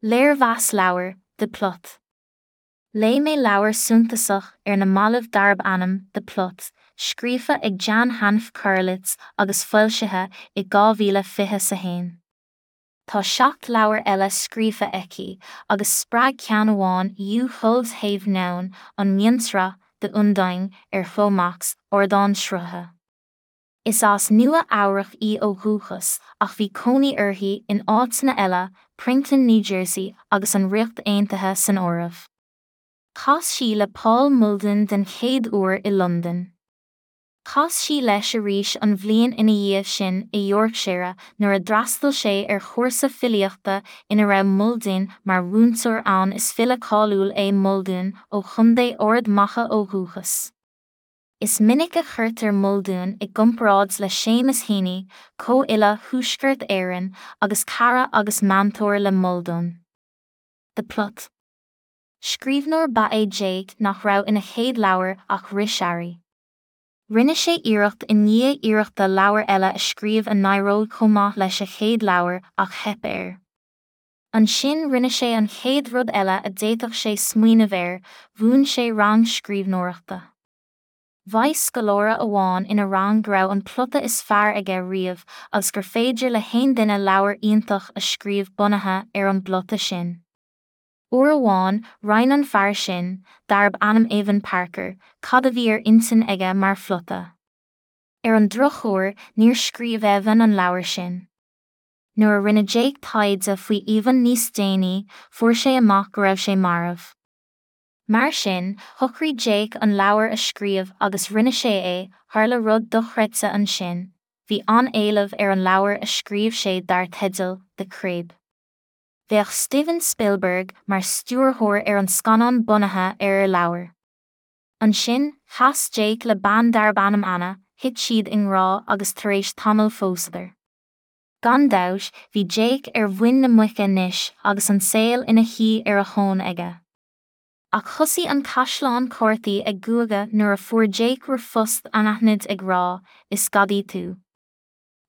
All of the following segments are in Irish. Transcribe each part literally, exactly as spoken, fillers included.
Léirmheas leabhair, The Plot. Léigh mé leabhar suntasach ar na mallaibh darb ainm The Plot, scríofa ag Jan Hanff Karelitz agus foilsithe i dhá mhíle fiche a haon. Tá seacht leabhar eile scríofa aici agus spreag ceann amháin U-Hulls an mhionsraith The Undying ar Chló Max, ardán srutha. Is as Nua Eabhrac í ó dhúchas ach bhí cónaí uirthi in áiteanna eile, Princeton, New Jersey agus an Ríocht Aontaithe san áireamh. Chas sí le Paul Muldoon den chéad uair i Londain. Chas sí leis arís an bhliain ina dhiaidh sin i Yorkshire nuair a d'fhreastail sé ar chúrsa filíochta ina raibh Muldoon mar mhúinteoir ann is file cáiliúil é Muldoon ó Chontae Ard Mhacha ó dhúchas. Is minic a chuirtear Muldoon i gcomparáid le Seamus Heaney, comhfhile Thuaisceart Éireann agus cara agus meantóir le Muldoon. The Plot. Scríbhneoir ba ea Jake nach raibh ina chéad leabhar ach rith Rinne sé iarracht i ndiaidh iarrachta leabhar eile a scríobh a n-éireodh chomh maith leis a chéad leabhar ach theip air. Ansin rinne sé an chéad rud eile a d'fhéadfadh sé smaoineamh air, mhúin sé rang scríbhneoireachta. Mhaígh scoláire amháin ina rang go raibh an plota is fearr aige riamh agus gur féidir le haon duine leabhar iontach a scríobh bunaithe ar an bplota sin. Uair amháin, roinn an fear sin, darb ainm Evan Parker, cad a bhí ar intinn aige mar phlota. Ar an drochuair, níor scríobh Evan an leabhar sin. Nuair a rinne Jake taighde faoi Evan níos déanaí, fuair sé amach go raibh sé marbh. Mar sin, shocraigh Jake an leabhar a scríobh agus rinne sé é, tharla rud dochreidte ansin, bhí an-éileamh ar an leabhar a scríobh sé dar teideal The Crib. Bheadh Steven Spielberg mar stiúrthóir ar an scannán bunaithe ar a leabhar. Ansin, chas Jake le bean darb ainm Anna, thit siad i ngrá agus tar éis tamaill phósadar. Gan dabht, bhí Jake ar mhuin na muice anois agus an saol ina shuí ar a thóin aige. Ach thosaigh an caisleán cártaí ag guagadh nuair a fuair Jake r-phost anaithnid ag rá, is gadaí tú.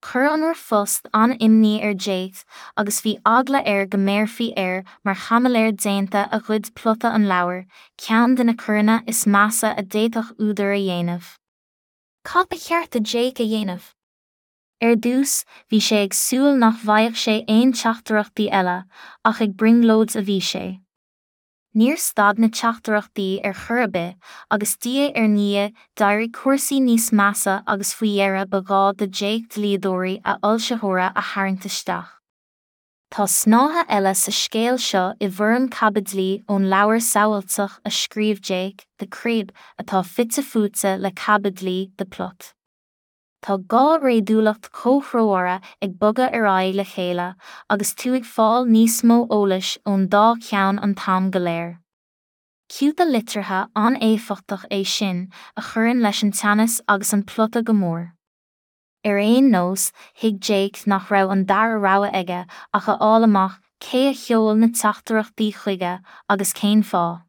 Chuir an r-phost an-imní ar Jake agus bhí eagla air go mbéarfaí air mar chaimiléir déanta a ghoid plota an leabhair, ceann de na coireanna is measa a d'fhéadfadh údar a dhéanamh. Cad ba cheart do Jake a dhéanamh? Ar dtús, bhí sé ag súil nach bhfaigheadh sé aon teachtaireachtaí eile, ach ag brionglóid a bhí sé. Níor stad na teachtaireachtaí ar chor ar bith, agus diaidh ar ndiaidh d'éirigh cúrsaí níos measa agus faoi dheireadh ba ghá do Jake dlíodóirí a fhoilsitheora a tharraingt isteach. Tá snáithe eile sa scéal seo i bhfoirm caibidlí ón leabhar samhailteach a scríobh Jake, The Crib, atá fite fuaite le caibidlí The Plot. Tá dhá réadúlacht chomhthreomhara ag bogadh ar aghaidh le chéile agus tú ag fáil níos mó eolais ón dá cheann an t-am go léir. Ciúta liteartha an-éifeachtach é sin a chuireann leis an teannas agus an plota go mór. Ar aon nós, thuig Jake nach raibh an dara rogha aige ach a fháil amach cé a sheol na teachtaireachtaí chuige agus cén fáth.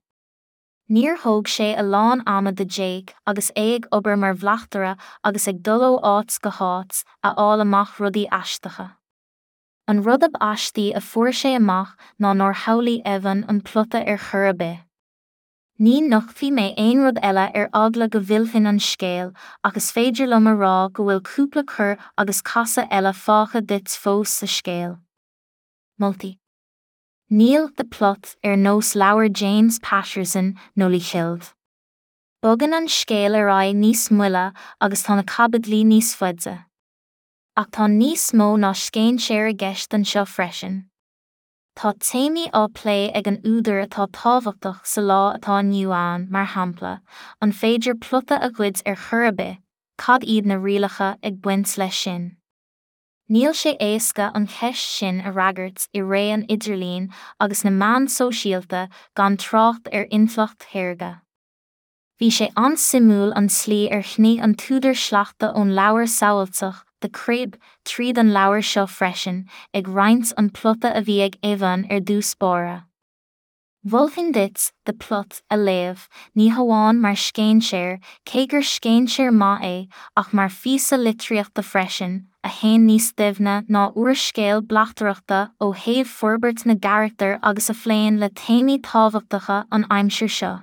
Níor thóg sé a lán ama do Jake agus é ag obair mar bhleachtaire agus ag dul ó áit go háit a fháil amach rudaí aisteacha. An rud ab aistí a fuair sé amach ná nár shamhlaigh Evan an plota ar chor ar bith. Ní nochtfaidh mé aon rud eile ar eagla go bhfillfinn an scéal ach is féidir liom a rá go bhfuil cúpla cor agus casadh eile fágtha duit fós sa scéal. Moltaí. Níl The Plot ar nós leabhar James Patterson nó Lee Child. Bogann an scéal ar aghaidh níos moille agus tá na caibidlí níos faide. Ach tá níos mó ná scéinséir i gceist anseo freisin. Tá téamaí á plé ag an údar atá tábhachtach sa lá atá inniu ann, mar shampla, an féidir plota a ghoid ar chor ar bith, cad iad na rialacha ag baint leis sin. Níl sé éasca an cheist sin a fhreagairt i ré an idirlín agus na meán sóisialta gan trácht ar intleacht shaorga. Bhí sé an-suimiúil an tslí ar shnoigh an t-údar sleachta ón leabhar samhailteach The Crib tríd an leabhar seo freisin, ag roinnt an plota a bhí ag Evan ar dtús báire. Mholfainn duit The Plot a léamh, ní hamháin mar scéinséir, cé gur scéinséir maith é, ach mar phíosa litríochta freisin, a théann níos doimhne ná úrscéal bleachtaireachta ó thaobh forbairt na gcarachtar agus a phléann le téamaí tábhachtacha an aimsir seo.